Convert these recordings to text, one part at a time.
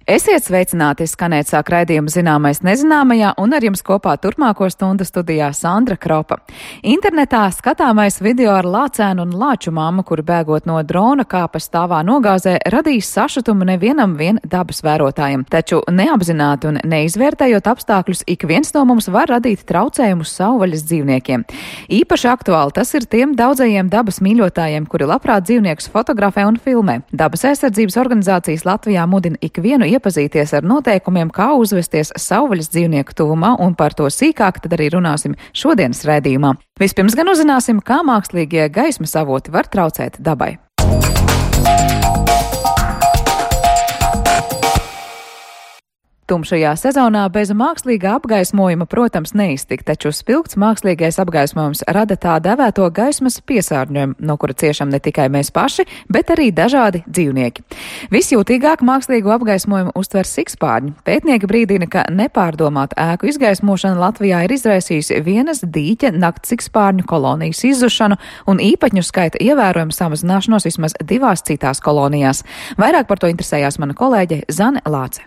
Esiet sveicināti, skanēt sāk raidījuma Zināmais nezināmajā, un ar jums kopā turpmāko stundu studijā Sandra Kropa. Internetā skatāmais video ar lācēnu un lāču mammu, kuri bēgot no drona kāpa stāvā nogāzē, radīs sašutumu nevienam vien dabas vērotājiem. Taču neapzināti un neizvērtējot apstākļus, ik viens no mums var radīt traucējumus savvaļas dzīvniekiem. Īpaši aktuāli tas ir tiem daudzajiem dabas mīļotājiem, kuri labprāt dzīvniekus fotografē un filmē. Dabas aizsardzības organizācijas Latvijā mudina ikvienu iepazīties ar noteikumiem, kā uzvesties savvaļas dzīvnieku tuvumā, un par to sīkāk tad arī runāsim šodienas raidījumā. Vispirms gan uzzināsim, kā mākslīgie gaismas avoti var traucēt dabai. Tumšajā sezonā bez mākslīgā apgaismojuma, protams, neiztikt, taču spilgts mākslīgais apgaismojums rada tā dēvēto gaismas piesārņojumu, no kura ciešam ne tikai mēs paši, bet arī dažādi dzīvnieki. Visjūtīgāk mākslīgo apgaismojumu uztver sikspārņi. Pētnieki brīdina, ka nepārdomāta ēku izgaismošana Latvijā ir izraisījusi vienas dīķa nakts sikspārņu kolonijas izzušanu un īpatņu skaita ievērojumu samazināšanos vismaz 2 citās kolonijās. Vairāk par to interesējās mana kolēģe Zane Lāce.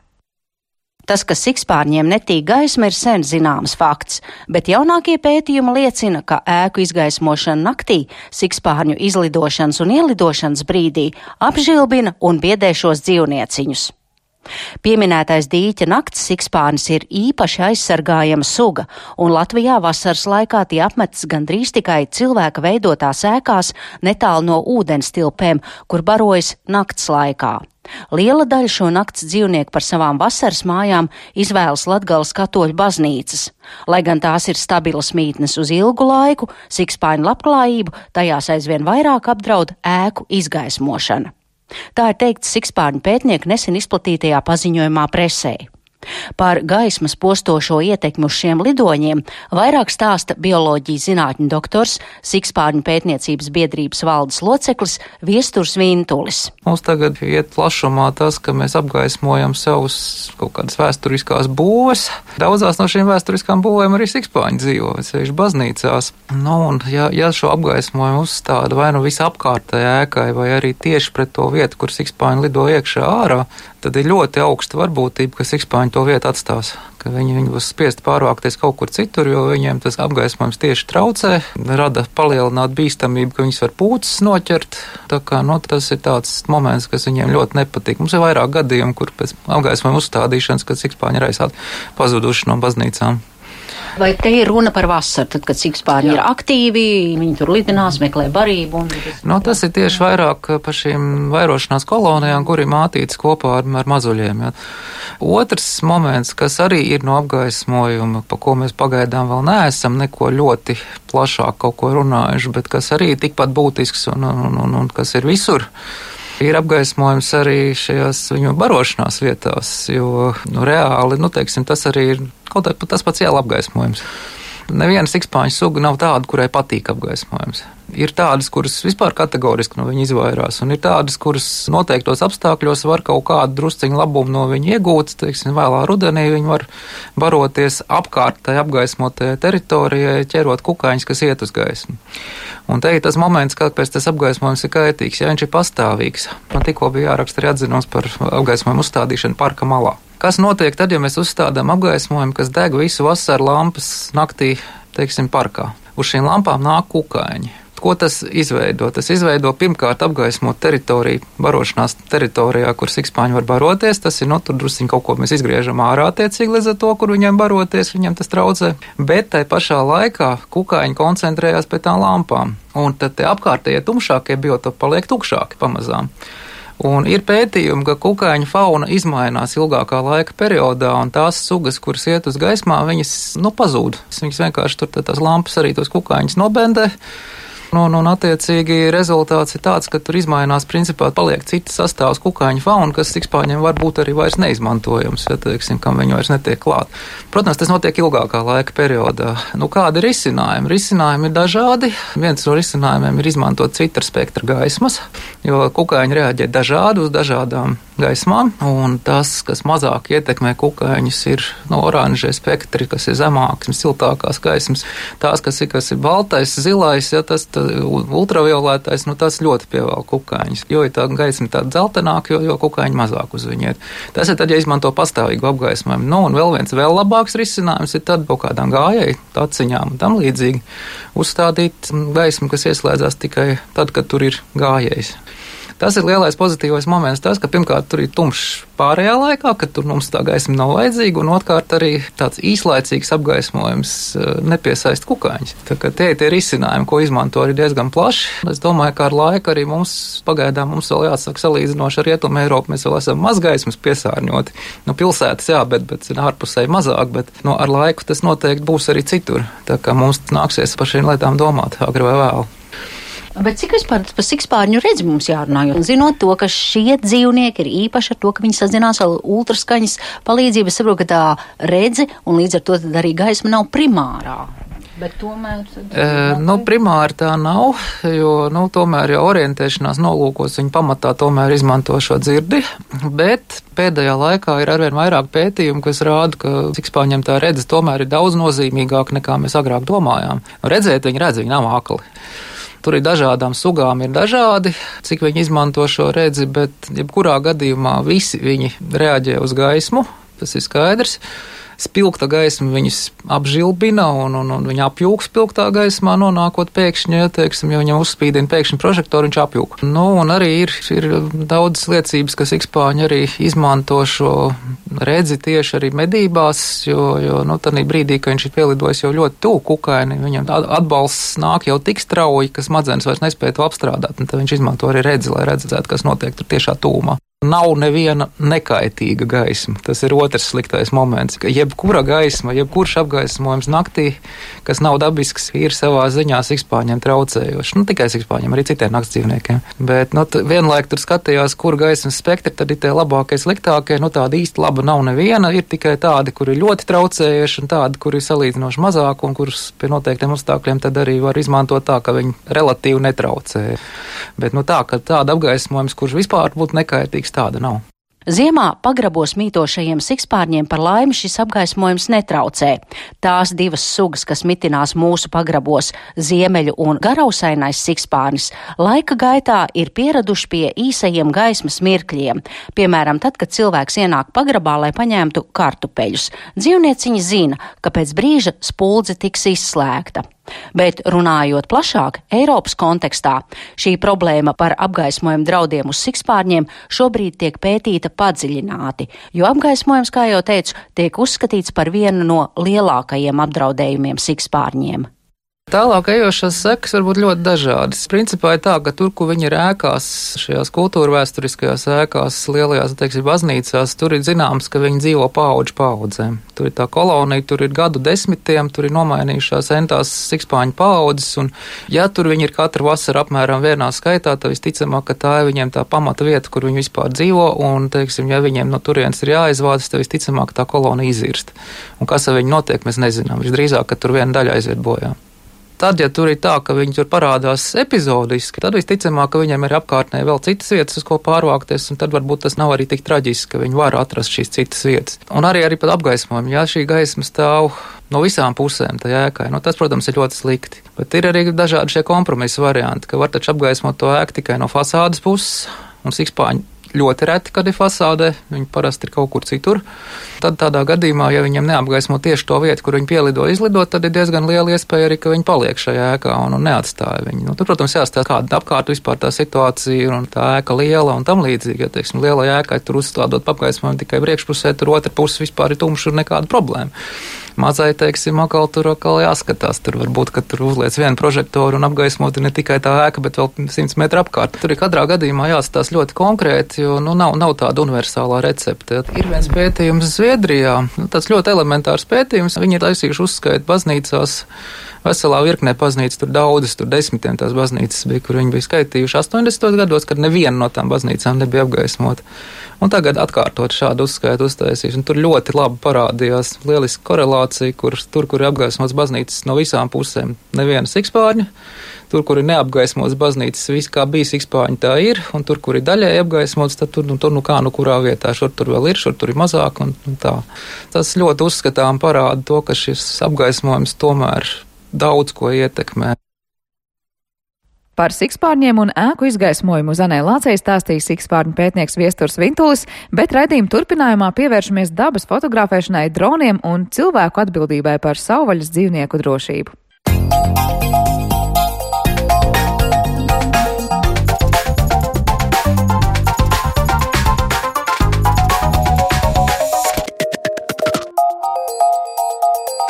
Tas, ka sikspārņiem netīk gaisma, ir sen zināms fakts, bet jaunākie pētījumi liecina, ka ēku izgaismošana naktī, sikspārņu izlidošanas un ielidošanas brīdī apžilbina un biedē šos dzīvnieciņus. Pieminētais dīķa nakts sikspārnis ir īpaši aizsargājama suga, un Latvijā vasaras laikā tie apmetas gandrīz tikai cilvēka veidotās ēkās netālu no ūdenstilpēm, kur barojas nakts laikā. Liela daļa šo nakts dzīvnieku par savām vasaras mājām izvēlas Latgales katoļu baznīcas. Lai gan tās ir stabilas mītnes uz ilgu laiku, sikspārņu labklājību tajās aizvien vairāk apdraud ēku izgaismošana. Tā ir teikts sikspārņu pētnieku nesen izplatītajā paziņojumā presē. Par gaismas postošo ietekmi uz šiem lidoņiem vairāk stāsta bioloģijas zinātņu doktors, sikspārņu pētniecības biedrības valdes loceklis Viesturs Vintulis. Mums tagad iet plašumā tas, ka mēs apgaismojam savus kaut kādas vēsturiskās būves. Daudzās no šīm vēsturiskām būvēm arī sikspārņi dzīvo, sevišķi baznīcās. Un ja šo apgaismojumu uzstāda vai nu visapkārtējai ēkai, vai arī tieši pret to vietu, kur sikspārņi lido iekšā ārā, tad ir ļoti augsta varbūtība, ka sikspārņi to vietu atstās, ka viņi būs spiesti pārvākties kaut kur citur, jo viņiem tas apgaismojums tieši traucē, rada palielināt bīstamību, ka viņas var pūces noķert. Tā kā, tas ir tāds moments, kas viņiem ļoti nepatīk. Mums ir vairāk gadījumu, kur pēc apgaismojuma uzstādīšanas, kad sikspārņi ir aizsāti pazuduši no baznīcām. Vai te ir runa par vasaru, tad, kad sikspārņi ir aktīvi, viņi tur lidinās, meklē barību? Tas ir tieši vairāk par šīm vairošanās kolonijām, kur ir mātītas kopā ar mazuļiem. Ja. Otrs moments, kas arī ir no apgaismojuma, pa ko mēs pagaidām vēl neesam neko ļoti plašāk kaut ko runājuši, bet kas arī tikpat būtisks un kas ir visur, ir apgaismojums arī šajās viņu barošanās vietās, jo reāli, tas arī ir kaut kā tas pats iela apgaismojums. Neviena sikspārņu suga nav tāda, kurai patīk apgaismojums. Ir tādas, kuras vispār kategoriski no viņa izvairās, un ir tādas, kuras noteiktos apstākļos var kaut kādu drusciņu labumu no viņa iegūt. Vēlā rudenī viņi var baroties apkārt tai apgaismotajai teritorijai, ķerot kukaiņus, kas iet uz gaismu. Un te ir tas moments, kāpēc tas apgaismojums ir kaitīgs, ja viņš ir pastāvīgs. Man tikko bija jāraksta arī atzinums par apgaismojumu uzstādīšanu parka malā. Kas notiek tad, ja mēs uzstādām apgaismojumu, kas deg visu vasaru lampas naktī, parkā? Uz šīm lampām nāk kukaiņi. Ko tas izveido? Tas izveido pirmkārt apgaismot teritoriju, barošanās teritorijā, kur sikspārņi var baroties. Tas ir, tur drusciņ kaut ko mēs izgriežam ārā attiecīgi līdz ar to, kur viņiem baroties, viņiem tas traucē. Bet tai pašā laikā kukaiņi koncentrējās pie tām lampām. Un tad tie apkārtējie tumšākie biotopi paliek tukšāki pamazām. Un ir pētījumi, ka kukaiņu fauna izmainās ilgākā laika periodā, un tās sugas, kuras iet uz gaismā, viņas pazūd. Viņas vienkārši tur tās lampas arī tos kukaiņus nobendē. Un attiecīgi rezultāts ir tāds, ka tur izmainās, principā paliek cits sastāvs kukaiņu fauna, kas sikspārņiem varbūt arī vairs neizmantojams, kam viņi vairs netiek klāt. Protams, tas notiek ilgākā laika periodā. Kādi ir risinājumi? Risinājumi ir dažādi. Viens no risinājumiem ir izmantot citra spektra gaismas, jo kukaiņi reaģē dažādi uz dažādām gaismā, un tas, kas mazāk ietekmē kukaiņus, ir oranžie spektri, kas ir zemākas, siltākās gaismas. Tās, kas ir baltais, zilais, ja tas ultravioletais, tas ļoti pievēl kukaiņus. Jo ir tā gaisma tāda dzeltenāka, jo kukaiņi mazāk uz viņu iet. Tas ir tad, ja izmanto pastāvīgu apgaismojumu. Un vēl viens labāks risinājums ir tad kaut kādām gājēju taciņām un tam līdzīgi uzstādīt gaismu, kas ieslēdzās tikai tad, kad tur ir gājējs. Tas ir lielais pozitīvais moments, tas, ka pirmkārt tur ir tumšs pārējā laikā, kad tur mums tā gaisma nav vajadzīga, un otrkārt arī tāds īslaicīgs apgaismojums nepiesaist kukaiņus. Tā kā tie risinājumi, ko izmanto, ir diezgan plaši. Es domāju, ka ar laiku arī pagaidām mums vēl jāsaka salīdzinoši ar Rietumu Eiropu, mēs vēl esam maz gaismas piesārņoti. Pilsētas, jā, bet ārpusēji mazāk, bet ar laiku tas noteikti būs arī citur. Tā kā mums nāksies par šīm lietām domāt, agri vai vēlu. Bet cik vispār par sikspārņu redzi mums jārunā? Jo zinot to, ka šie dzīvnieki ir īpaši ar to, ka viņi sazinās ar ultraskaņas palīdzību, es saprotu, ka tā redze un līdz ar to tad arī gaisma nav primārā. Bet tomēr... primāri tā nav, jo tomēr jau orientēšanās nolūkos viņi pamatā tomēr izmanto šo dzirdi, bet pēdējā laikā ir arvien vairāk pētījumu, kas rāda, ka sikspārņiem tā redze tomēr ir daudz nozīmīgāk nekā mēs agrāk domājām. Redzēt viņi redz, viņi nav akli. Tur ir dažādām sugām, ir dažādi, cik viņi izmanto šo redzi, bet jebkurā gadījumā visi viņi reaģē uz gaismu, tas ir skaidrs. Spilgta gaisma viņus apžilbina un viņi apjūg spilgtā gaismā, nonākot pēkšņi, ja viņam uzspīdina pēkšņi prožektoru, viņš apjūg. Un arī ir daudz liecības, ka sikspārņi arī izmanto šo redzi tieši arī medībās, jo tādā brīdī, ka viņš ir pielidojis jau ļoti tuvu kukaini, viņam atbalsts nāk jau tik strauji, ka smadzenes vairs nespēja to apstrādāt, un tad viņš izmanto arī redzi, lai redzētu, kas notiek tur tiešā tūmā. Nav neviena nekaitīga gaisma. Tas ir otrs sliktais moments, ka jebkura gaisma, jebkurš apgaismojums naktī, kas nav dabisks, ir savā ziņā sikspārņiem traucējošs. Tikai sikspārņiem, arī citiem naktsdzīvniekiem. Bet vienlaik tur skatījās, kur gaismas spektri, tad ir tie labākie, sliktākie. Tāda īsti laba nav neviena, ir tikai tādi, kuri ir ļoti traucējuši un tādi, kuri ir salīdzinoši mazāk un kurus pie noteiktiem apstākļiem tad arī var izmantot tā, ka viņi relatīvi netraucē. Bet ka tāda apgaismojums, kurš vispār būtu nekaitīgs, tāda nav. Ziemā pagrabos mītošajiem sikspārņiem par laimi šis apgaismojums netraucē. Tās divas sugas, kas mitinās mūsu pagrabos, ziemeļu un garausainais sikspārnis, laika gaitā ir pieraduši pie īsajiem gaismas mirkļiem. Piemēram, tad, kad cilvēks ienāk pagrabā, lai paņemtu kartupeļus. Dzīvnieciņi zina, ka pēc brīža spuldze tiks izslēgta. Bet runājot plašāk, Eiropas kontekstā, šī problēma par apgaismojumu draudiem uz sikspārņiem šobrīd tiek pētīta padziļināti, jo apgaismojums, kā jau teicu, tiek uzskatīts par vienu no lielākajiem apdraudējumiem sikspārņiem. Tālāk ejošās sekas var būt ļoti dažādas. Principā ir tā, ka tur, kur viņi ir ēkās, šajās kultūra vēsturiskajās ēkās, lielajās, baznīcās, tur ir zināms, ka viņi dzīvo paudžu paudzēm. Tur ir tā kolonija, tur ir gadu desmitiem, tur ir nomainījušās entās sikspāņu paudzes, un ja tur viņi ir katru vasaru apmēram vienā skaitā, tad visticamāk, ka tā ir viņiem tā pamata vieta, kur viņi vispār dzīvo, un, ja viņiem no turienes ir jāizvādas, tad visticamāk tā kolonija izirst. Un kas ar viņu notiek, mēs nezinām. Visdrīzāk, ka tur viena daļa aiziet bojā. Tad, ja tur ir tā, ka viņi tur parādās epizodiski, tad visticamāk, ka viņiem ir apkārtnē vēl citas vietas, uz ko pārvākties, un tad varbūt tas nav arī tik traģiski, ka viņi var atrast šīs citas vietas. Un arī pat apgaismojumi, ja šī gaisma stāv no visām pusēm tajā ēkai, tas, protams, ir ļoti slikti. Bet ir arī dažādi šie kompromisa varianti, ka var taču apgaismot to ēku tikai no fasādes puses, un sikspāņi ļoti reti, kad ir fasādē, viņi parasti ir kaut kur citur. Tad tādā gadījumā, ja viņiem neapgaismo tieši to vietu, kur viņi pielido izlidot, tad ir diezgan liela iespēja arī, ka viņi paliek šajā ēkā un neatstāja viņu. Tur, protams, jāstāsta, kāda apkārt vispār tā situācija un tā ēka liela un tam līdzīgi. Ja, lielai ēkai tur uzstādot apgaismojumu tikai priekšpusē, tur otra puse vispār ir tumša un nekāda problēma. Mazai, atkal jāskatās. Tur varbūt, ka tur uzliec vienu prožektoru un apgaismot ne tikai tā ēka, bet vēl 100 metru apkārt. Tur ir katrā gadījumā jāskatās ļoti konkrēti, jo nav tāda universālā recepte. Ir viens pētījums Zviedrijā, tāds ļoti elementārs pētījums. Viņi ir taisījuši uzskaitu baznīcās veselā virknē baznīcas, tur daudzas, tur desmitiem tās baznīcas bija, kur viņi bija skaitījuši 80. gados, kad neviena no tām baznīcām nebija apgaismota. Un tagad atkārtot šādu uzskaitu uztaisīšu, un tur ļoti labi parādījās lieliska korelācija, kur ir apgaismots baznīcas no visām pusēm. Neviena sikspārņa, tur, kur ir neapgaismots baznīcas, viss kā bija sikspārņa, tā ir, un tur, kur ir daļai apgaismots, tad tur kurā vietā, šur tur vēl ir, šur tur ir mazāk, un tā. Tas ļoti uzskatām parāda to, ka šis apgaismojums tomēr daudz ko ietekmē. Par sikspārņiem un ēku izgaismojumu Zanē Lācei stāstīja sikspārņu pētnieks Viesturs Vintulis, bet raidījuma turpinājumā pievēršamies dabas fotografēšanai, droniem un cilvēku atbildībai par savvaļas dzīvnieku drošību.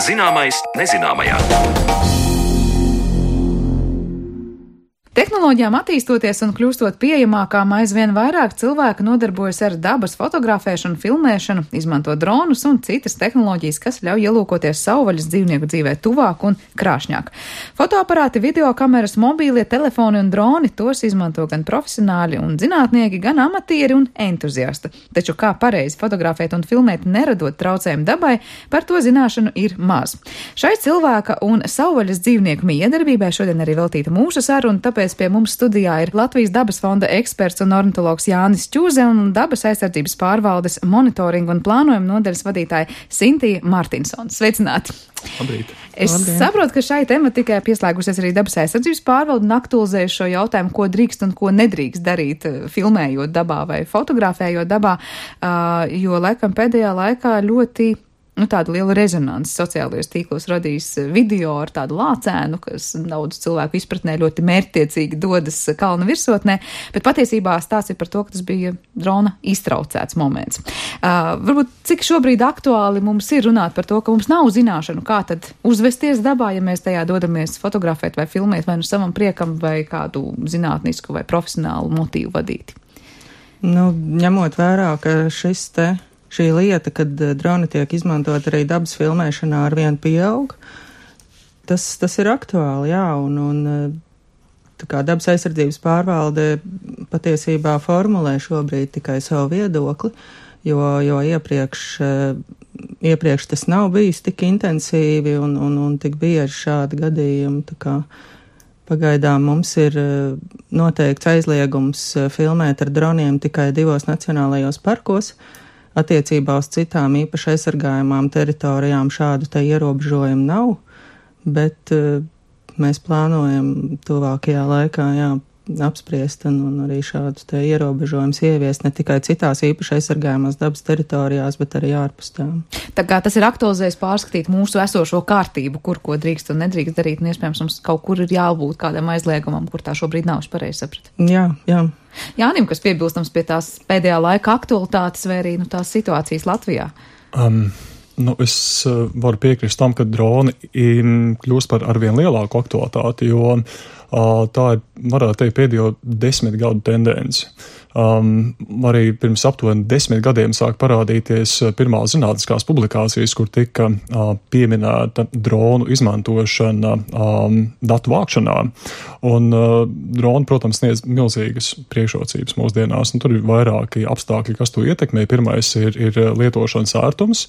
Zināmais nezināmajā. Tehnoloģijām attīstoties un kļūstot pieejamākām, aizvien vairāk cilvēku nodarbojas ar dabas fotografēšanu, filmēšanu, izmanto dronus un citas tehnoloģijas, kas ļauj ielūkoties savvaļas dzīvnieku dzīvē tuvāk un krāšņāk. Fotoaparāti, videokameras, mobīlie telefoni un droni tos izmanto gan profesionāļi un zinātnieki, gan amatieri un entuziasti. Taču kā pareizi fotografēt un filmēt, neradot traucējumu dabai, par to zināšanu ir maz. Šai cilvēka un savvaļas dzīvnieku miedarbībai šodien arī veltīta mūsu saruna, tāpēc pie mums studijā ir Latvijas dabas fonda eksperts un ornitologs Jānis Čūze un dabas aizsardzības pārvaldes monitoringa un plānojuma nodaļas vadītāja Sintija Martinsona. Sveicināti! Labrīt. Es saprotu, ka šai tematikai pieslēgusies arī dabas aizsardzības pārvalde un aktualizējuši šo jautājumu, ko drīkst un ko nedrīkst darīt, filmējot dabā vai fotografējot dabā, jo laikam pēdējā laikā ļoti tādu lielu rezonanci sociālajos tīklos radījis video ar tādu lācēnu, kas daudz cilvēku izpratnē ļoti mērķtiecīgi dodas kalna virsotnē, bet patiesībā stāsts ir par to, ka tas bija drona iztraucēts moments. Varbūt cik šobrīd aktuāli mums ir runāt par to, ka mums nav zināšanu, kā tad uzvesties dabā, ja mēs tajā dodamies fotografēt vai filmēt vai nu savam priekam vai kādu zinātnisku vai profesionālu motīvu vadīti. Ņemot vērā, ka šī lieta, kad droni tiek izmantot arī dabas filmēšanā, arvien pieaug, tas ir aktuāli, jā, un tā kā dabas aizsardzības pārvalde patiesībā formulē šobrīd tikai savu viedokli, jo iepriekš tas nav bijis tik intensīvi un tik bieži šādi gadījumi, tā kā pagaidām mums ir noteikts aizliegums filmēt ar droniem tikai 2 nacionālajos parkos. Attiecībā uz citām īpaši aizsargājumām teritorijām šādu te ierobežojumu nav, bet mēs plānojam tuvākajā laikā apspriest un arī šādus te ierobežojumus ieviest ne tikai citās īpaši aizsargājumās dabas teritorijās, bet arī ārpus tām. Tā kā tas ir aktualizējis pārskatīt mūsu esošo kārtību, kur ko drīkst un nedrīkst darīt, un iespējams mums kaut kur ir jābūt kādam aizliegumam, kur tā šobrīd nav, es pareizi sapratu. Jā. Jānim, kas piebilstams pie tās pēdējā laika aktualitātes vai arī tās situācijas Latvijā? Es varu piekrist tam, ka droni kļūst par arvien lielāku aktualitāti, jo tā ir, varētu teikt, pēdējo 10 gadu tendence. Arī pirms aptuveni 10 gadiem sāk parādīties pirmās zinātniskās publikācijas, kur tika pieminēta dronu izmantošana datu vākšanā. Un droni, protams, sniedz milzīgas priekšrocības mūsdienās, un tur ir vairāki apstākļi, kas to ietekmē. Pirmais ir lietošanas ērtums,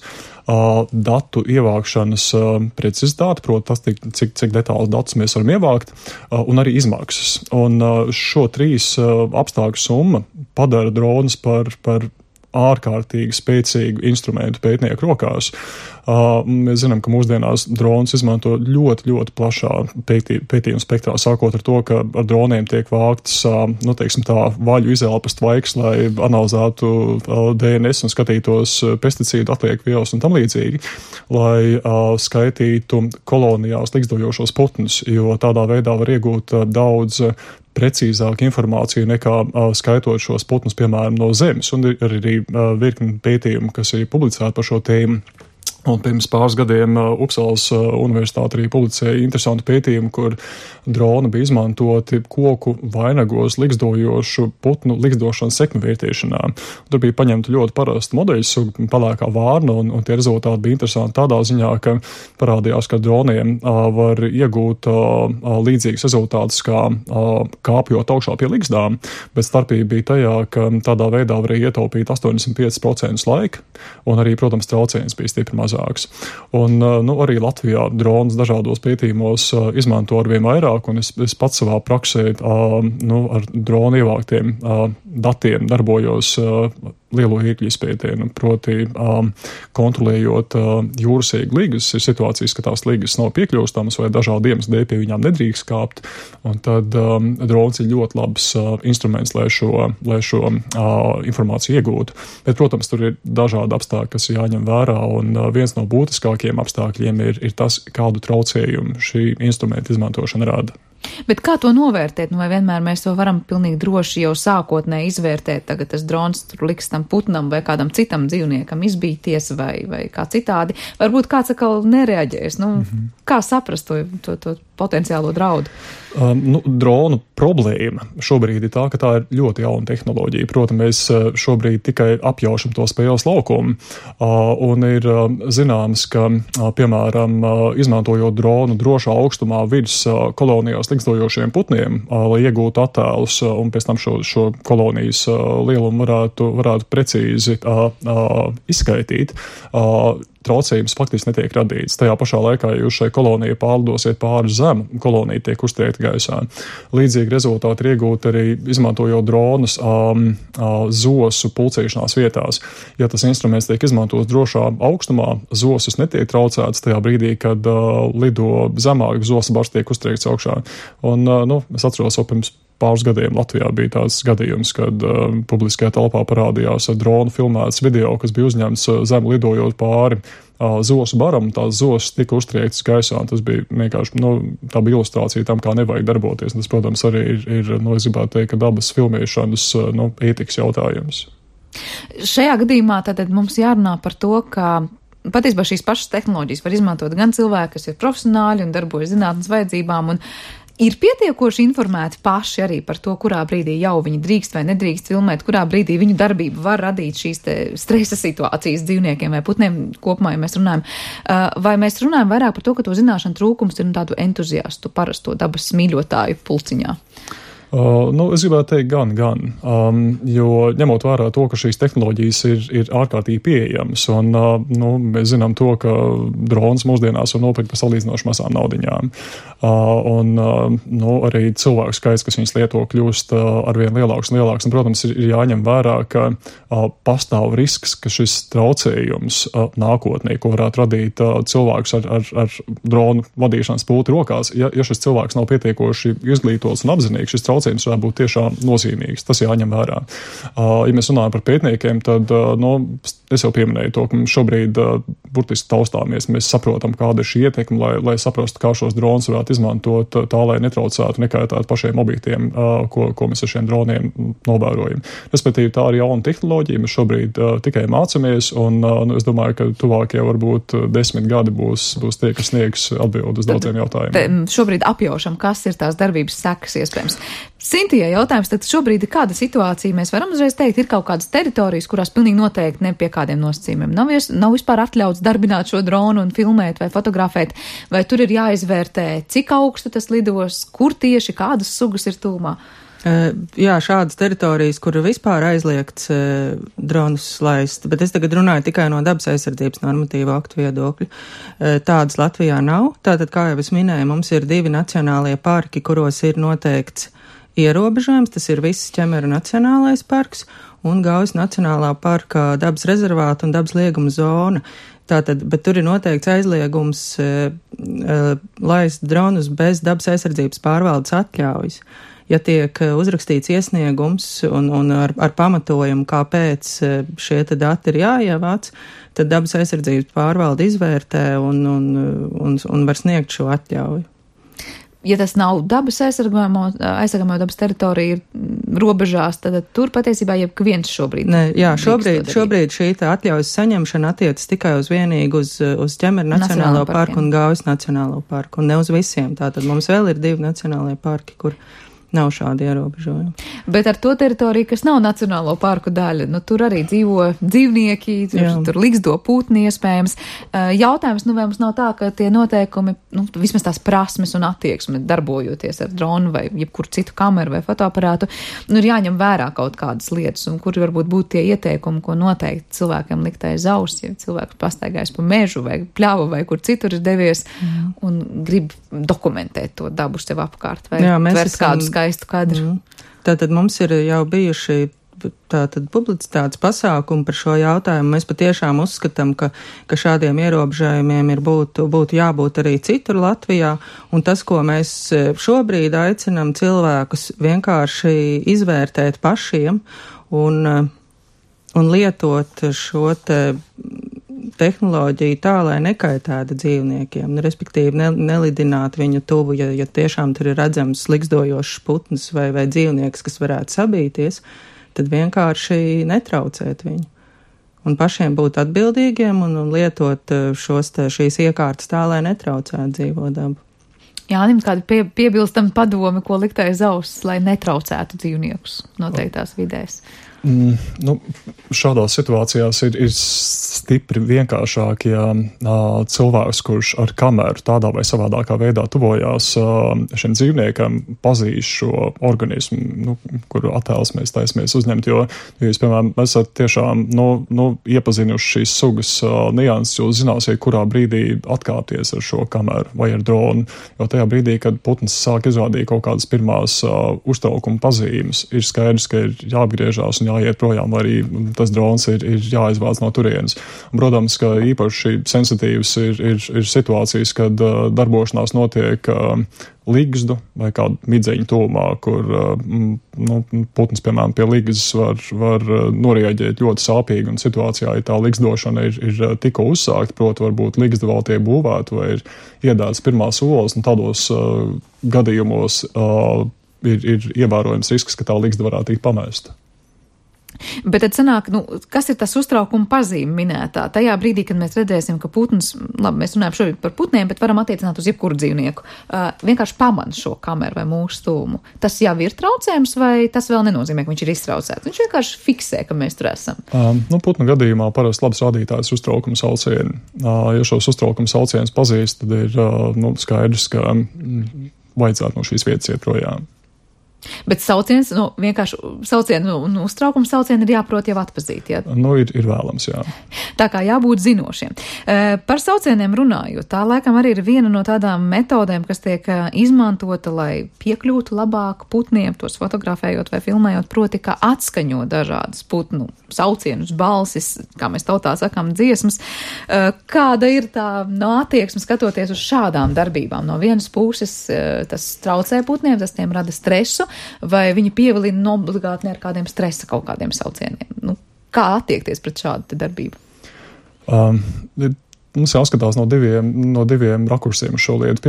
datu ievākšanas precizitāte, proti tas, cik detālus datus mēs varam ievākt, un arī izmaksas. Un šo 3 apstākļu summa padara dronus par ārkārtīgi spēcīgu instrumentu pētnieku rokās. Mēs zinām, ka mūsdienās dronus izmanto ļoti, ļoti plašā pētījuma spektrā, sākot ar to, ka ar droniem tiek vāktas, vaļu izelpas tvaiks, lai analizētu DNS un skatītos pesticīdu atlieku vielas un tam līdzīgi, lai skaitītu kolonijās likstojošos putnus, jo tādā veidā var iegūt daudz precīzāku informāciju nekā skaitot šos putnus, piemēram, no zemes, un ir arī virkni pētījumu, kas ir publicēti par šo tēmu. Un pirms pāris gadiem Upsalas universitāte arī publicēja interesantu pētījumu, kur droni bija izmantoti koku vainagos ligzdojošu putnu ligzdošanas seknu vērtēšanā. Tur bija paņemta ļoti parasta modeļu suga, pelēkā vārna, un tie rezultāti bija interesanti tādā ziņā, ka parādījās, ka droniem var iegūt līdzīgas rezultātus kā kāpjot augšā pie ligzdām, bet starpība bija tajā, ka tādā veidā varēja ietaupīt 85% laika, un arī, protams, trauciens bija stipri mazāk. Un, arī Latvijā dronas dažādos pētījumos izmanto arvien vairāk, un es pats savā praksē ar dronu ievāktiem datiem darbojos lielo īkļu izpētē, proti kontrolējot jūras ēgu ligas, ir situācijas, ka tās ligas nav piekļūstamas vai dažādi iemesli dēļ pie viņām nedrīkst kāpt, un tad drons ir ļoti labs instruments, lai šo informāciju iegūtu. Bet, protams, tur ir dažādi apstākļi, kas jāņem vērā, un viens no būtiskākajiem apstākļiem ir tas, kādu traucējumu šī instrumenta izmantošana rada. Bet kā to novērtēt? Vai vienmēr mēs to varam pilnīgi droši jau sākotnēji izvērtēt? Tagad tas drons tur liks tam putnam vai kādam citam dzīvniekam izbīties vai kā citādi. Varbūt kāds atkal nereaģēs. Kā saprast to potenciālo draudu? Dronu problēma šobrīd ir tā, ka tā ir ļoti jauna tehnoloģija. Protams, mēs šobrīd tikai apjaušam to spēles laukumu, un ir zināms, ka, piemēram, izmantojot dronu drošā augstumā virs kolonijās ligzdojošiem putniem, lai iegūtu attēlus un pēc tam šo kolonijas lielumu varētu precīzi izskaitīt, traucējums faktiski netiek radīts. Tajā pašā laikā, ja jūs šai kolonijai pārlidosiet pāri zemu, kolonija tiek uztriekta gaisā. Līdzīgi rezultāti ir iegūti arī izmantojot dronus zosu pulcēšanās vietās. Ja tas instruments tiek izmantots drošā augstumā, zosus netiek traucēts tajā brīdī, kad lido zemāk, zosu bars tiek uztriekts augšā. Un, es atceros, pirms pāris gadiem Latvijā bija tāds gadījums, kad publiskajā telpā parādījās dronu filmēts video, kas bija uzņemts zem lidojot pāri zosu baram, tās zosas tika uztriektas gaisā, un tas bija vienkārši, tā bija ilustrācija tam, kā nevajag darboties. Un tas, protams, arī ir es gribētu teikt, ka dabas filmēšanas, ētikas jautājums. Šajā gadījumā tātad mums jārunā par to, ka patiesībā šīs pašas tehnoloģijas var izmantot gan cilvēki, kas ir profesionāļi un darbojas zinātnes vajadzībām, un ir pietiekoši informēti paši arī par to, kurā brīdī jau viņi drīkst vai nedrīkst filmēt, kurā brīdī viņu darbība var radīt šīs stresa situācijas dzīvniekiem vai putniem kopumā, ja mēs runājam. Vai mēs runājam vairāk par to, ka to zināšanu trūkums ir tādu entuziastu, parasto dabas mīļotāju pulciņā? Es gribētu teikt gan, jo ņemot vērā to, ka šīs tehnoloģijas ir ārkārtīgi pieejamas, un mēs zinām to, ka drons mūsdienās var nopirkt par salīdzinoši mazām naudiņām. Arī cilvēku skaits, kas viņas lieto, kļūst arvien lielāks un lielāks, un, protams, ir jāņem vērā, ka pastāv risks, ka šis traucējums nākotnē, ko varētu radīt cilvēks ar dronu vadīšanas pulti rokās, ja šis cilvēks nav pietiekoši izglītots un apzinīgs, šis traucējums varētu būt tiešām nozīmīgs. Tas jāņem vērā. Ja mēs runājam par pētniekiem, tad, es jau pieminēju to, ka šobrīd burtiski taustāmies, mēs saprotam, kāda ir šī ietekme, lai saprastu, kā šos dronus varētu izmantot tā, lai netraucētu, nekaitētu pašiem objektiem, ko mēs ar šiem droniem novērojam. Respektīvi, tā ir jauna tehnoloģija, mēs šobrīd tikai mācamies, un es domāju, ka tuvākie varbūt 10 gadi būs tie, kas sniegs atbildi uz daudziem jautājumiem. Šobrīd apjaušam, kas ir tās darbības sekas iespējams. Sintijai jautājums, tad šobrīd ir kāda situācija, mēs varam uzreiz teikt, ir kaut kādas teritorijas, kurās pilnīgi noteikti ne pie kādiem nosacījumiem nav vispār atļauts darbināt šo dronu un filmēt vai fotografēt, vai tur ir jāizvērtē, cik augstu tas lidos, kur tieši kādas sugas ir tūmā? Jā, šādas teritorijas, kur vispār aizliegts dronus laist, bet es tagad runāju tikai no dabas aizsardzības normatīva aktu viedokļa. Tādas Latvijā nav. Tātad, kā jau es minēju, mums ir 2 nacionālie parki, kuros ir noteikts ierobežojums. Tas ir Visas Ķemeru nacionālais parks un Gaujas nacionālā parka dabas rezervāta un dabas lieguma zona. Tātad, bet tur ir noteikts aizliegums laist dronus bez dabas aizsardzības pārvaldes atļaujas. Ja tiek uzrakstīts iesniegums un ar pamatojumu, kāpēc šie dati ir jāievāc, tad dabas aizsardzības pārvalde izvērtē un var sniegt šo atļauju. ja tas nav dabas aizsargājamo dabas teritorija robežās, tad tur patiesībā viens šobrīd. Šobrīd šī atļaujas saņemšana attiecas tikai vienīgi uz Ķemeru Nacionālo parku un Gaujas Nacionālo parku, un ne uz visiem. Tātad mums vēl ir 2 nacionālajie parki, kur nav šādi ierobežojumi. Bet ar to teritoriju, kas nav nacionālo parku daļa, tur arī dzīvo dzīvnieki, tur ligzdo putni iespējams. Jautājums, vai mums nav tā, ka tie noteikumi, vismaz tās prasmes un attieksme darbojoties ar dronu vai jebkuru citu kameru vai fotoaparātu, ir jāņem vērā kaut kādas lietas, un kuri varbūt būtu tie ieteikumi, ko noteikti cilvēkiem likt aiz auss, ja cilvēks pastaigājis pa mežu vai pļavu vai kur citur ir devies un grib dokumentēt to dabu sev apkārt vai tvert kādu skaistu kadru. Tātad mums ir jau bijuši publicitātes pasākumi par šo jautājumu. Mēs patiešām uzskatām, ka šādiem ierobežojumiem būtu jābūt arī citur Latvijā, un tas, ko mēs šobrīd aicinām cilvēkus vienkārši izvērtēt pašiem un lietot šo tehnoloģiju tā, lai nekaitētu dzīvniekiem, respektīvi nelidināt viņu tuvu, ja tiešām tur ir redzams ligzdojošs putns vai dzīvnieks, kas varētu sabīties, tad vienkārši netraucēt viņu. Un pašiem būt atbildīgiem un lietot šīs iekārtas tā, lai netraucētu dzīvo dabu. Jānim, kādi piebilstami padomi, ko likt aiz auss, lai netraucētu dzīvniekus noteiktās vidēs? Šādās situācijās ir stipri vienkāršāk, ja cilvēks, kurš ar kameru tādā vai savādākā veidā tuvojās šiem dzīvniekam, pazīst šo organismu, kuru attēls mēs taisamies uzņemt, jo jūs, piemēram, esat tiešām iepazinuši šīs sugas nianses, jūs zināsiet, kurā brīdī atkāpties ar šo kameru vai ar dronu, jo tajā brīdī, kad putns sāk izrādīt kaut kādas pirmās uztraukuma pazīmes, ir skaidrs, ka ir jāapgriežās un jāiet projām, vai arī tas drons ir jāizvāc no turienes. Un, protams, ka īpaši sensitīvas ir situācijas, kad darbošanās notiek ligzdu vai kādu midzeņu tūmā, kur putns, piemēram, pie ligzdas var norieģēt ļoti sāpīgi, un situācijā, ja tā ligzdošana ir tikko uzsākta, proti varbūt ligzda vēl tiek būvēta vai ir iedētas pirmās olas, un tādos gadījumos ir ievērojams risks, ka tā ligzda varētu tikt pamesta. Bet tad sanāk, kas ir tas uztraukuma pazīme minētā? Tajā brīdī, kad mēs redzēsim, ka putns, labi, mēs runājam šobrīd par putniem, bet varam attiecināt uz jebkuru dzīvnieku, vienkārši pamana šo kameru vai mūsu stūmu. Tas jau ir traucējums vai tas vēl nenozīmē, ka viņš ir iztraucēts? Viņš vienkārši fiksē, ka mēs tur esam. Putnu gadījumā parasti labs rādītājs uztraukuma saucieni. Ja šos uztraukuma saucienus pazīst, tad ir skaidrs, ka vajadzētu no šīs vietas iet projām. Bet sauciens, vienkārši saucienu un uztraukuma saucienu ir jāprot jau atpazīt, jā? Ir vēlams, jā. Tā kā jābūt zinošiem. Par saucieniem runājot, tā laikam arī ir viena no tādām metodēm, kas tiek izmantota, lai piekļūtu labāk putniem, tos fotografējot vai filmējot, proti, kā atskaņot dažādas putnu saucienus, balsis, kā mēs tautā sakām, dziesmas. Kāda ir tā attieksme skatoties uz šādām darbībām? No vienas puses tas traucē putniem, tas tiem rada stresu, vai viņi pievilina obligāti ar kādiem stresa kaut kādiem saucieniem? Kā attiekties pret šādu darbību? Mums jāskatās no diviem rakursiem uz šo lietu.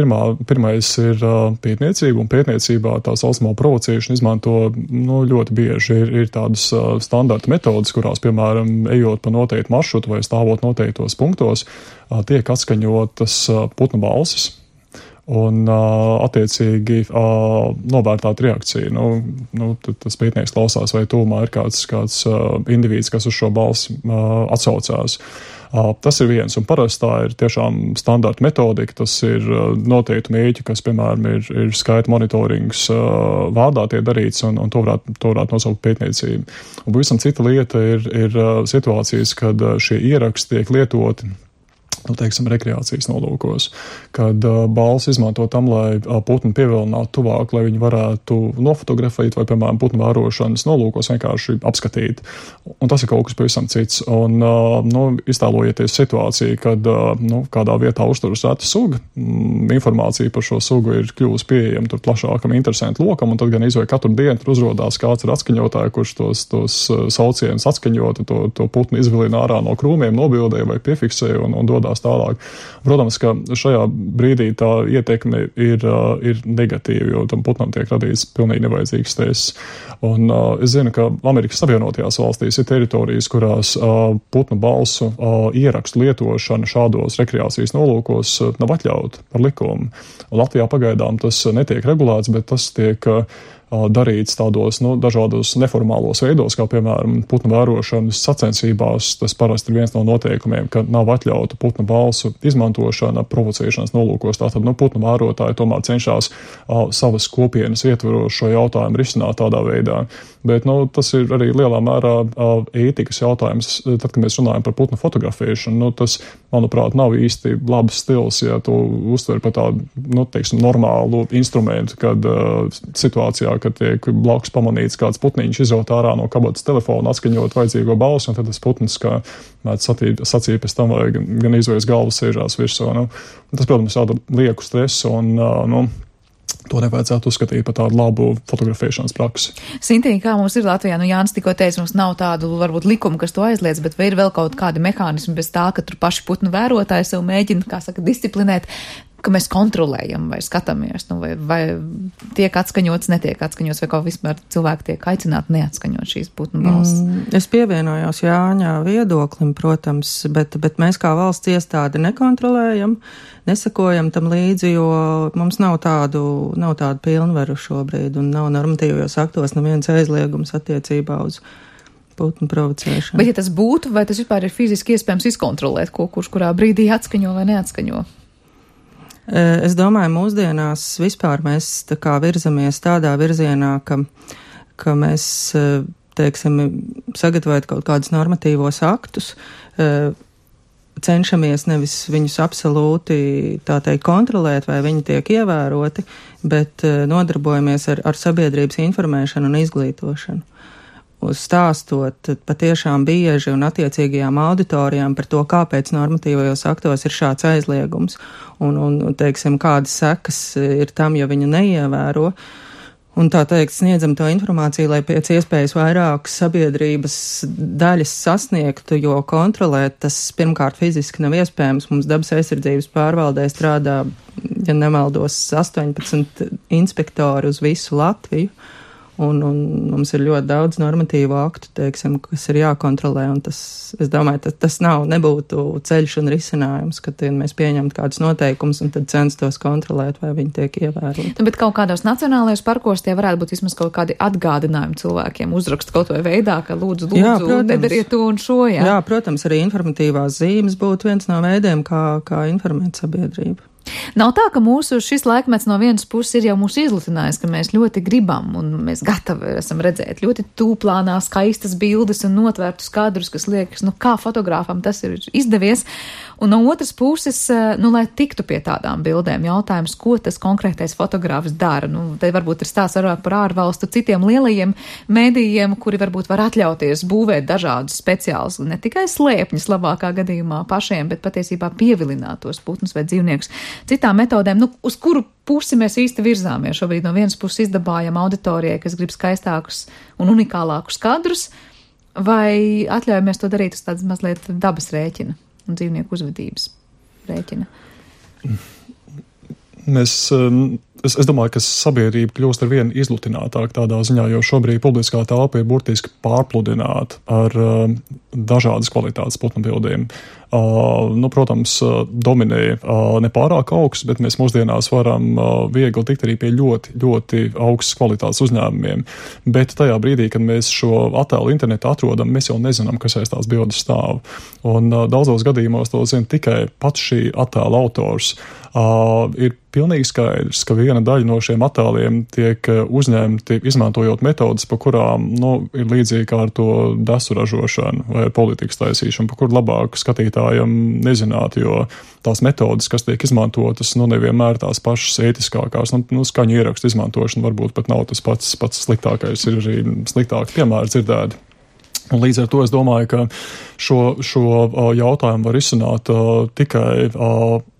Pirmais ir pētniecība, un pētniecībā tā saucamā provocēšana izmanto ļoti bieži. Ir tādas standarta metodas, kurās, piemēram, ejot pa noteiktu maršrutu vai stāvot noteiktos punktos, tiek atskaņotas putnu balsis. Un attiecīgi novērtāt reakciju. Tas pētnieks klausās, vai tūmā ir kāds indivīds, kas uz šo balsi atsaucās. Tas ir viens, un parasti tā ir tiešām standarta metodika, tas ir noteikti mērķi, kas, piemēram, ir skaita monitorings vārdā tie darīts, un to varētu nosaukt pētniecību. Un pavisam cita lieta ir situācijas, kad šie ieraksti tiek lietoti rekreācijas nolūkos, kad balss izmanto tam, lai putnu pievilinātu tuvāk, lai viņi varētu nofotografēt vai, piemēram, putnu vērošanas nolūkos vienkārši apskatīt. Un tas ir kaut kas pavisam cits. Un, iztēlojieties situāciju, kad, kādā vietā uzturas reta suga, informācija par šo sugu ir kļuvusi pieejama tur plašākam interesantu lokam, un tad gan izvēl katru dienu tur uzrodās kāds ir atskaņotāji, kurš tos saucienus atskaņota, to putnu izvilina ārā no krūmiem, nobildē vai piefiksē un dodās attīstās tālāk. Protams, ka šajā brīdī tā ietekme ir negatīva, jo tam putnam tiek radīts pilnīgi nevajadzīgs stresss. Un es zinu, ka Amerikas Savienotajās valstīs ir teritorijas, kurās putnu balsu ierakstu lietošana šādos rekreācijas nolūkos nav atļauta par likumu. Latvijā pagaidām tas netiek regulēts, bet tas tiek darīts tādos dažādos neformālos veidos, kā piemēram putnu vērošanas sacensībās. Tas parasti ir viens no noteikumiem, ka nav atļauta putnu balsu izmantošana provocēšanas nolūkos. Tātad putnu vērotāji tomēr cenšas savas kopienas ietvaros šo jautājumu risināt tādā veidā. Bet tas ir arī lielā mērā ētikas jautājums. Tad, kad mēs runājam par putnu fotografēšanu, tas, manuprāt, nav īsti labs stils, ja to uztver par tādu, normālu instrumentu, kad situācijā, kad tiek blakus pamanīts kāds putniņš izraut ārā no kabatas telefona, atskaņot vajadzīgo balsu, un tad tas putnis, kā mēdz sacīt pēc tam, vai gan izvējas galvas sēžās virsū. Tas, protams, rada lieku stresu, un to nevajadzētu uzskatīt par tādu labu fotografēšanas praksi. Sintīna, kā mums ir Latvijā? Jānis tikko teica, mums nav tādu, varbūt, likumu, kas to aizliedz, bet vai ir vēl kaut kādi mehānismi bez tā, ka tur paši putnu vērotāji sev mēģina, disciplinēt, ka mēs kontrolējam vai skatāmies, vai tiek atskaņots, netiek atskaņots, vai kaut vispār cilvēki tiek aicināti neatskaņot šīs putnu balsis? Es pievienojos Jāņa viedoklim, protams, bet mēs kā valsts iestāde nekontrolējam, nesakojam tam līdzi, jo mums nav tādu pilnvaru šobrīd, un nav normatīvajos aktos neviens aizliegums attiecībā uz putnu provocēšanu. Bet ja tas būtu, vai tas vispār ir fiziski iespējams izkontrolēt, kurš kurā brīdī atskaņo vai neatskaņo? Es domāju, mūsdienās vispār mēs tā kā virzamies tādā virzienā, ka mēs, teiksim, sagatavot kaut kādus normatīvos aktus, cenšamies nevis viņus absolūti, tā teikt, kontrolēt, vai viņi tiek ievēroti, bet nodarbojamies ar sabiedrības informēšanu un izglītošanu. Stāstot patiešām bieži un attiecīgajām auditorijām par to, kāpēc normatīvajos aktos ir šāds aizliegums un teiksim, kādas sekas ir tam, ja viņu neievēro. Un tā teikt, sniedzam to informāciju, lai pēc iespējas vairāk sabiedrības daļas sasniegtu, jo kontrolēt tas pirmkārt fiziski nav iespējams. Mums dabas aizsardzības pārvaldē strādā, ja nemaldos, 18 inspektori uz visu Latviju. Un mums ir ļoti daudz normatīvu aktu, teiksim, kas ir jākontrolē, un es domāju, tas nebūtu ceļš un risinājums, ka mēs pieņemtu kādus noteikumus un tad censtos kontrolēt, vai viņi tiek ievēroti. Bet kaut kādos nacionālajos parkos tie varētu būt vismaz kaut kādi atgādinājumi cilvēkiem, uzrakst kaut vai veidā, ka lūdzu, nedariet to un šo, jā. Jā, protams, arī informatīvās zīmes būtu viens no veidiem, kā informēt sabiedrību. Nav tā, ka šis laikmets no vienas puses ir jau mūs izlutinājis, ka mēs ļoti gribam un mēs gatavi esam redzēt ļoti tūplānā skaistas bildes un notvērtus kadrus, kas liekas, kā fotogrāfam tas ir izdevies. Un no otras puses, lai tiktu pie tādām bildēm, jautājums, ko tas konkrētais fotogrāfs dara. Te varbūt ir stāsts par ārvalstu citiem lielajiem mēdījiem, kuri varbūt var atļauties būvēt dažādus speciālus, ne tikai slēpņus labākā gadījumā pašiem, bet patiesībā pievilināt tos putnus vai dzīvniekus citām metodēm, uz kuru pusi mēs īsti virzāmies. Šobrīd no vienas puses izdabājam auditorijai, kas grib skaistākus un unikālākus kadrus, vai atļaujamies to darīt uz tādas mazliet dabas rēķina un dzīvnieku uzvedības rēķina? Es domāju, ka sabiedrība kļūst ar vien izlutinātāk tādā ziņā, jo šobrīd publiskā telpa ir burtiski pārpludināta ar dažādas kvalitātes putnu bildēm. Protams, dominē nepārāk augsts, bet mēs mūsdienās varam viegli tikt arī pie ļoti, ļoti augstas kvalitātes uzņēmumiem. Bet tajā brīdī, kad mēs šo attēlu internetā atrodam, mēs jau nezinām, kas aiz tās bildes stāv. Un daudzos gadījumos to zina tikai pats šī attēla autors. Ir pilnīgi skaidrs, ka viena daļa no šiem attēliem tiek uzņemti izmantojot metodas, pa kurām ir līdzīgi kā ar to desu ražošanu vai ar politikas taisīšanu, pa kur labāk skatītājiem nezināt, jo tās metodas, kas tiek izmantotas, nevienmēr tās pašas ētiskākās. Skaņu ierakstu izmantošana varbūt pat nav tas pats sliktākais, ir arī sliktāki piemēri dzirdēti. Un līdz ar to es domāju, ka šo jautājumu var izsināt tikai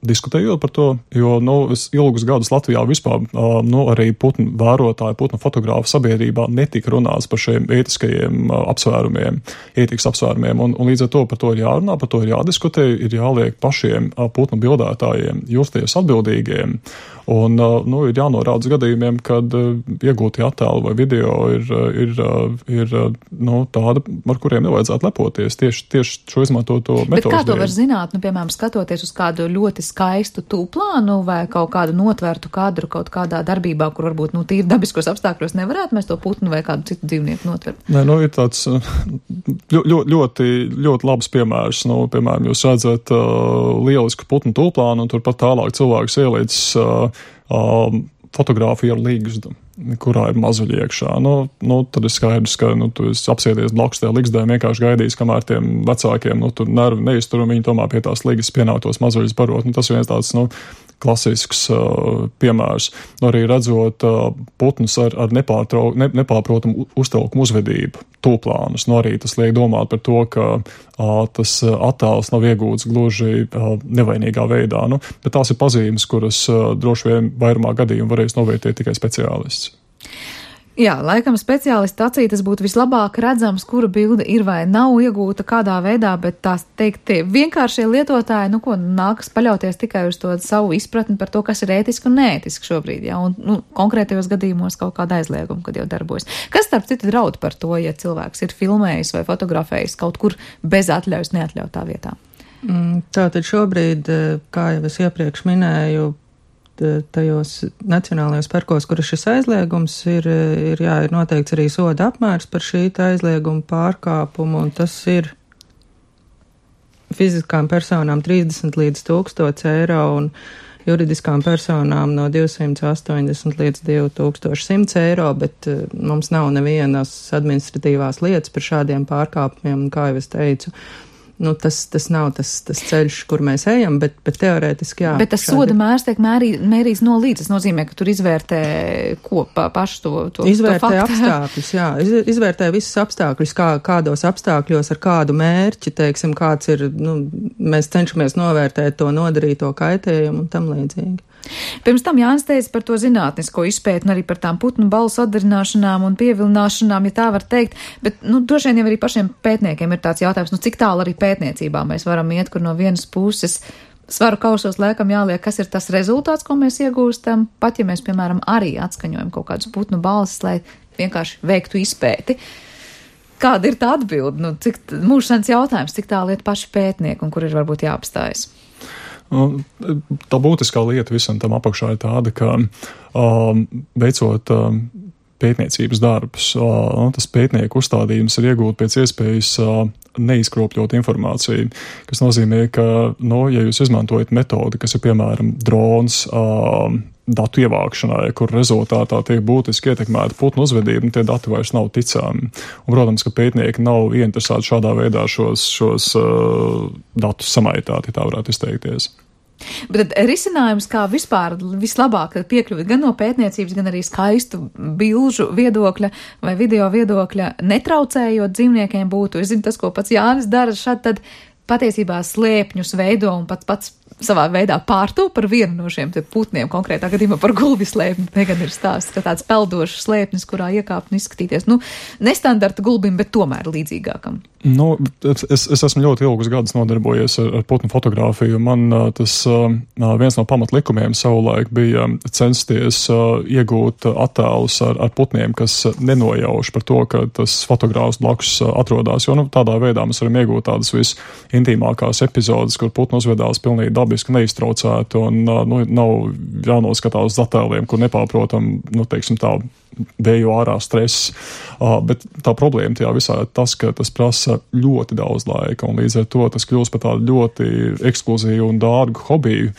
diskutējot par to, jo, es ilgus gadus Latvijā vispār, arī putnu vērotāju, putnu fotogrāfu sabiedrībā netika runāts par šiem ētiskajiem apsvērumiem, ētikas apsvērumiem, un līdz ar to par to ir jārunā, par to ir jādiskutē, ir jāliek pašiem putnu bildētājiem justies atbildīgiem, un, ir jānorāda gadījumiem, kad iegūtie attēli vai video ir tāda, ar kuriem nevajadzētu lepoties, tieši šo izmantoto metožu. Bet kā to var zināt, piemēram, skatoties uz kādu ļoti skaistu tūplānu vai kaut kādu notvērtu kadru kaut kādā darbībā, kur varbūt, tīri dabiskos apstākļos nevarētu mēs to putnu vai kādu citu dzīvnieku notvert? Nē, ir tāds ļoti labs piemērs. Piemēram, jūs redzat lielisku putnu tūplānu un turpat tālāk cilvēks ielīdz fotogrāfiju ar līgzdu, kurā ir mazuļi iekšā. Tad ir skaidrs, ka tu apsēdies blakus tajā līgzdē, vienkārši gaidīs, kamēr tiem vecākiem tur nervi neiztur un viņi tomēr pie tās līgas pienāktos mazuļus barot. Tas ir viens tāds klasisks piemērs. Arī redzot putnus ar nepārprotamu uztraukumu uzvedību, tūplānus. Arī tas liek domāt par to, ka tas attēls nav iegūts gluži nevainīgā veidā. Bet tās ir pazīmes, kuras droši vien vairumā gadījumu varēs novērtēt tikai speciālists. Jā, laikam speciālista acī tas būtu vislabāk redzams, kura bilde ir vai nav iegūta kādā veidā, bet tās teikt, vienkāršie lietotāji, nākas paļauties tikai uz to savu izpratni par to, kas ir ētiski un neētiski šobrīd, jā, un konkrētajos gadījumos kaut kāda aizlieguma, kad jau darbojas. Kas starp citu draud par to, ja cilvēks ir filmējis vai fotografējis kaut kur bez atļaujas neatļautā vietā? Tātad šobrīd, kā jau es iepriekš minēju, tajos nacionālajos parkos, kur ir šis aizliegums, ir noteikts arī soda apmērs par šī aizlieguma pārkāpumu, un tas ir fiziskām personām 30 līdz 1000 eiro un juridiskām personām no 280 līdz 2100 eiro, bet mums nav nevienas administratīvās lietas par šādiem pārkāpumiem, un kā jau es teicu, tas nav tas ceļš, kur mēs ejam, bet teorētiski jā. Bet tas soda mērs tiek mērīts no līdz. Tas nozīmē, ka tur izvērtē pašu to izvērtē faktu. Apstākļus, jā. Izvērtē visus apstākļus, kādos apstākļos, ar kādu mērķi, teiksim, kāds ir, mēs cenšamies novērtēt to nodarīto kaitējumu un tam līdzīgi. Pirms tam Jānis teica par to zinātnisko izpēti un arī par tām putnu balu sadarināšanām un pievilināšanām, ja tā var teikt, bet, droši vien jau arī pašiem pētniekiem ir tāds jautājums, cik tālu arī pētniecībā mēs varam iet, kur no vienas puses svaru kausos laikam jāliek, kas ir tas rezultāts, ko mēs iegūstam, pat ja mēs, piemēram, arī atskaņojam kaut kādus putnu balsis, lai vienkārši veiktu izpēti. Kāda ir tā atbilde? Cik mūžsens jautājums, cik tālu iet paši pētnieki un kur ir varbūt jāapstājas? Tā būtiskā lieta visam tam apakšā ir tāda, ka veicot pētniecības darbus, tas pētnieku uzstādījums ir iegūt pēc iespējas neizkropļot informāciju, kas nozīmē, ka, ja jūs izmantojat metodi, kas ir, piemēram, drons, datu ievākšanai, kur rezultātā tiek būtiski ietekmēta putnu uzvedība, tie dati vairs nav ticami. Un, protams, ka pētnieki nav ieinteresēti šādā veidā šos datus samaitāt, ja tā varētu izteikties. Bet risinājums, kā vispār vislabāk piekļūt gan no pētniecības, gan arī skaistu bilžu viedokļa vai video viedokļa, netraucējot dzīvniekiem būtu, es zinu tas, ko pats Jānis dara šad, tad patiesībā slēpņus veido un pats savā veidā pārto par vienu no šiem putniem, konkrētā gadījumā par gulbi slēpni. Tagad ir stāsts, ka tāds peldošs slēpnis, kurā iekāpt un izskatīties, nestandarta gulbim, bet tomēr līdzīgākam. Es esmu ļoti ilgus gadus nodarbojies ar putnu fotogrāfiju. Man tas viens no pamatlikumiem savulaik bija censties iegūt attēlus ar putniem, kas nenojauš par to, ka tas fotogrāfs blakus atrodas, jo tādā veidā mēs varam iegūt tādas visintīmākās epizodes, kur putnu uzvedās pilnīgi dabiski neiztraucēti un nav jānoskatās uz attēliem, kur nepārprotam, teiksim tā, vēju ārā stress. Bet tā problēma tajā visā ir tas, ka tas prasa ļoti daudz laika, un līdz ar to tas kļūst par tādu ļoti ekskluzīvu un dārgu hobiju,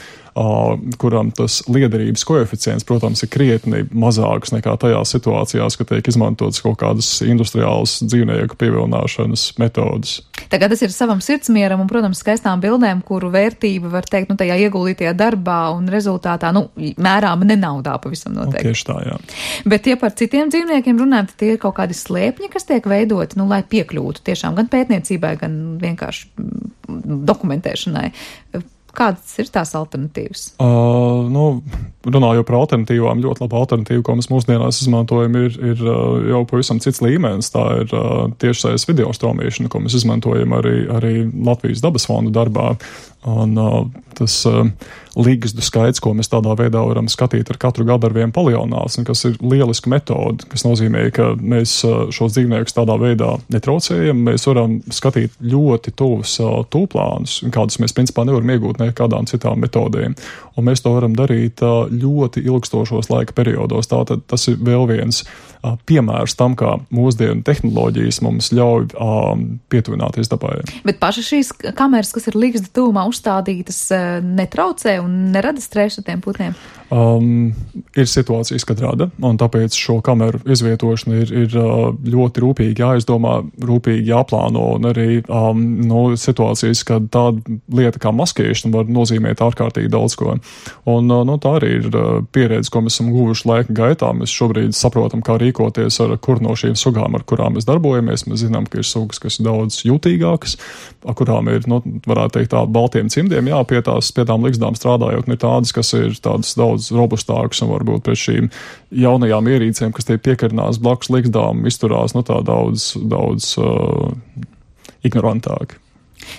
kuram tas liederības koeficients, protams, ir krietni mazāks nekā tajās situācijās, ka tiek izmantotas kaut kādas industriālas dzīvnieku pievilināšanas metodas. Tagad tas ir savam sirdsmieram un, protams, skaistām bildēm, kuru vērtība, var teikt, tajā ieguldītajā darbā un rezultātā, mērāma ne naudā pavisam noteikti. Tieši tā, jā. Bet, ja par citiem dzīvniekiem runājam, tad tie ir kaut kādi slēpņi, kas tiek veidoti, lai piekļūtu tiešām gan pētniecībai, gan vienkārši dokumentēšanai. Kādas ir tās alternatīvas? Runājot par alternatīvām, ļoti laba alternatīva, ko mēs mūsdienās izmantojam, ir jau pavisam cits līmenis. Tā ir tiešsaistes video straumēšana, ko mēs izmantojam arī Latvijas dabas fonda darbā. Un tas līgzdu skaits, ko mēs tādā veidā varam skatīt ar katru gadu ar vien palielinās, un kas ir lieliska metode, kas nozīmē, ka mēs šos dzīvniekus tādā veidā netraucējam, mēs varam skatīt ļoti tuvus tūplānus, kādus mēs principā nevaram iegūt nekādām citām metodēm. Un mēs to varam darīt ļoti ilgstošos laika periodos. Tātad tas ir vēl viens piemērs tam, kā mūsdienu tehnoloģijas mums ļauj pietuvināties dabai. Bet pašas šīs kameras, kas ir līgzda tuvumā uzstādītas, netraucē un nerada stresu tiem putniem? Ir situācijas, kad rada, un tāpēc šo kameru izvietošana ir ļoti rūpīgi jāizdomā, rūpīgi jāplāno, un arī situācijas, kad tāda lieta kā maskēšana var nozīmēt ārkārtīgi daudz ko. Un tā arī ir pieredze, ko mēs esam guvuši laika gaitā. Mēs šobrīd saprotam, kā rīkoties ar kur no šīm sugām, ar kurām mēs darbojamies. Mēs zinām, ka ir sugas, kas ir daudz jutīgākas, kurām ir, varētu teikt, tādi baltiem cimdiem pie tām ligzdām strādājot, un ir tādas, kas ir tādas daudz robustākas un varbūt pret šīm jaunajām ierīcēm, kas te piekarinās blakus ligzdām, izturās tā daudz ignorantāk.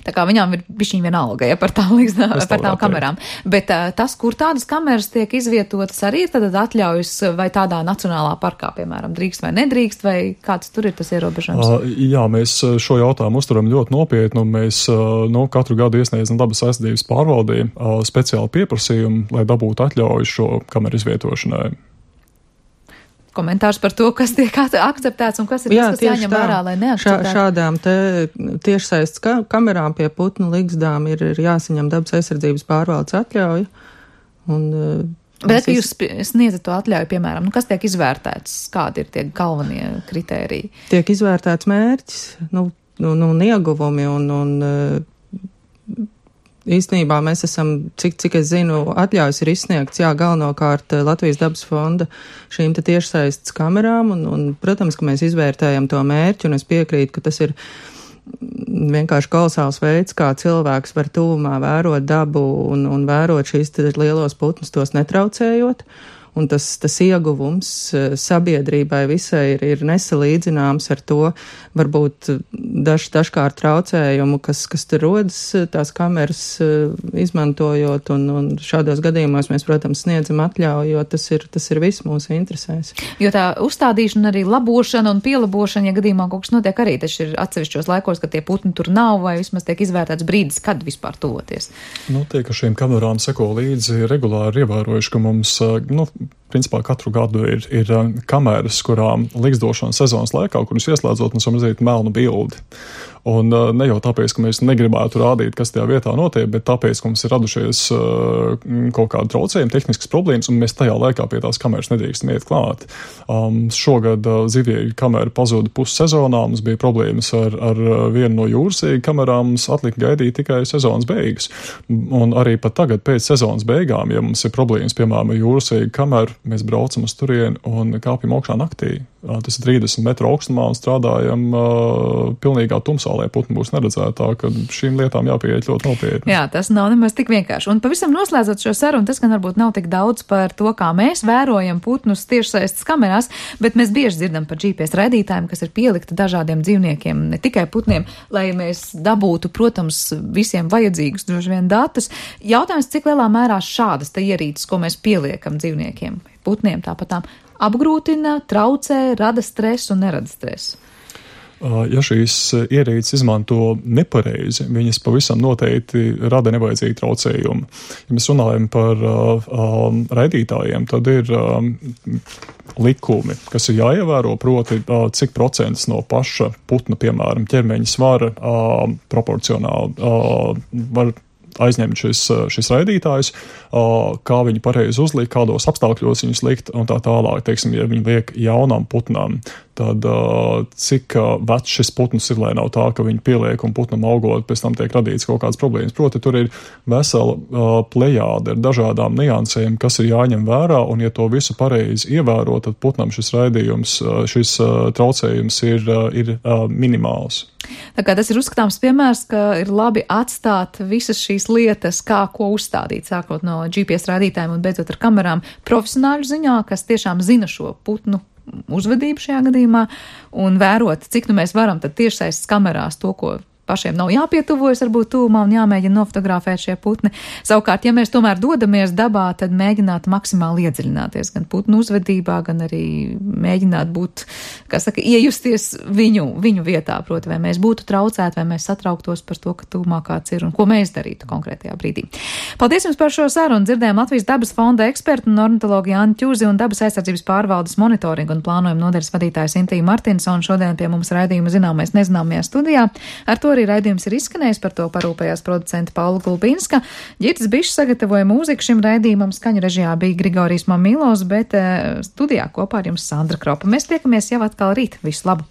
Tā kā viņām ir bišķiņ vienalga, par tām ligzdām, par tām kamerām. Bet tas, kur tādas kameras tiek izvietotas, arī ir tad atļaujas vai tādā nacionālā parkā, piemēram, drīkst vai nedrīkst, vai kāds tur ir tas ierobežojums? Jā, mēs šo jautājumu uzturam ļoti nopietni, un mēs katru gadu iesniedzam dabas aizsardzības pārvaldē speciālu pieprasījumu, lai dabūtu atļauju šo kameru izvietošanai. Komentārs par to, kas tiek akceptēts un kas ir tas, kas jāņem vērā, lai neakceptētu. Šādām tiešsaistes kamerām pie putnu ligzdām ir jāsaņem dabas aizsardzības pārvaldes atļauja. Bet jūs sniedzat to atļauju, piemēram, kas tiek izvērtēts, kādi ir tie galvenie kritēriji? Tiek izvērtēts mērķis, ieguvumi un īstenībā mēs esam, cik es zinu, atļaujas ir izsniegts, galvenokārt Latvijas dabas fonda šīm te tiešsaistes kamerām, un, protams, ka mēs izvērtējam to mērķi, un es piekrītu, ka tas ir vienkārši kolosāls veids, kā cilvēks var tuvumā vērot dabu un vērot šīs lielos putnus, tos netraucējot. Un tas ieguvums sabiedrībai visai ir nesalīdzināms ar to, varbūt dažkārt traucējumu, kas tur rodas tās kameras izmantojot, un šādos gadījumos mēs, protams, sniedzam atļauju, jo tas ir viss mūsu interesēs. Jo tā uzstādīšana, arī labošana un pielabošana, ja gadījumā kaut kas notiek arī, taču ir atsevišķos laikos, ka tie putni tur nav, vai vismaz tiek izvērtēts brīdis, kad vispār tuvoties. Tie, ka šīm kamerām seko līdzi regulāri ievērojuši, ka mums, principā katru gadu ir kameras, kurām ligzdošanas sezonas laikā, kuras ieslēdzot, mums var redzēt melnu bildi. Un ne jau tāpēc, ka mēs negribētu rādīt, kas tajā vietā notiek, bet tāpēc, ka mums ir radušies kaut kāda traucējuma, tehniskas problēmas, un mēs tajā laikā pie tās kameras nedrīkstam iet klāt. Šogad zivieļu kamera pazuda pussezonā, mums bija problēmas ar vienu no jūrasīgu kamerām, mums atlika gaidīt tikai sezonas beigas. Un arī pat tagad pēc sezonas beigām, ja mums ir problēmas, piemēram, ar jūrasīgu kameru, mēs braucam uz turieni un kāpjam augšā naktī. Tas ir 30 metru augstumā un strādājam pilnīgā tumsā, lai putni būs neredzētāk, ka šīm lietām jāpieiet ļoti nopietni. Jā, tas nav nemaz tik vienkārši. Un pavisam noslēdzot šo sarunu, tas gan varbūt nav tik daudz par to, kā mēs vērojam putnus tiešsaistes kamerās, bet mēs bieži dzirdam par GPS raidītājiem, kas ir pielikti dažādiem dzīvniekiem, ne tikai putniem, lai mēs dabūtu, protams, visiem vajadzīgus droši vien datus. Jautājums, cik lielā mērā šādas te ierīces, ko mēs pieliekam dzīvniekiem, putniem tāpatām, apgrūtina, traucē, rada stresu un nerada stresu. Ja šīs ierīces izmanto nepareizi, viņas pavisam noteikti rada nevajadzīgu traucējumu. Ja mēs runājam par raidītājiem, tad ir likumi, kas ir jāievēro, proti, cik procents no paša putna, piemēram, ķermeņa svara proporcionāli var aizņemt šis raidītājs, kā viņi pareizi uzlikt, kādos apstākļos viņus likt un tā tālāk. Teiksim, ja viņi liek jaunam putnam tad cik vecs šis putns ir, lai nav tā, ka viņi pieliek un putnam augot, pēc tam tiek radīts kaut kādas problēmas. Proti, tur ir vesela plejāde ar dažādām niansēm, kas ir jāņem vērā, un ja to visu pareizi ievēro, tad putnam šis raidījums, šis traucējums ir minimāls. Tā kā tas ir uzskatāms piemērs, ka ir labi atstāt visas šīs lietas, kā ko uzstādīt, sākot no GPS rādītājiem un beidzot ar kamerām profesionāļu ziņā, kas tiešām zina šo putnu uzvedību šajā gadījumā un vērot, cik mēs varam tad tiešsaistes kamerās to, ko pašiem nav jāpietuvojas, varbūt tūmā un jāmēģina nofotografēt šie putni. Savukārt, ja mēs tomēr dodamies dabā, tad mēģināt maksimāli iedziļināties gan putnu uzvedībā, gan arī mēģināt būt, kā saka, iejusties viņu vietā, proti, vai mēs būtu traucēti, vai mēs satrauktos par to, ka tūmā kāds ir un ko mēs darītu konkrētajā brīdī. Paldies jums par šo sarunu. Dzirdējām Latvijas dabas fonda ekspertu un ornitologu Jāni Ķūzi un dabas aizsardzības pārvaldes monitoringa un plānojuma nodaļas vadītājs Intija Martinsona šodien pie mums raidījuma Zināmais nezināmajā studijā. Ar to arī raidījums ir izskanējis, par to parūpējās producenta Paula Gulbinska. Ģirds Bišs sagatavoja mūziku šim raidījumam, skaņu režijā bija Grigorijs Mamīlos, bet studijā kopā ar jums Sandra Kropa. Mēs tiekamies jau atkal rīt. Visu labu!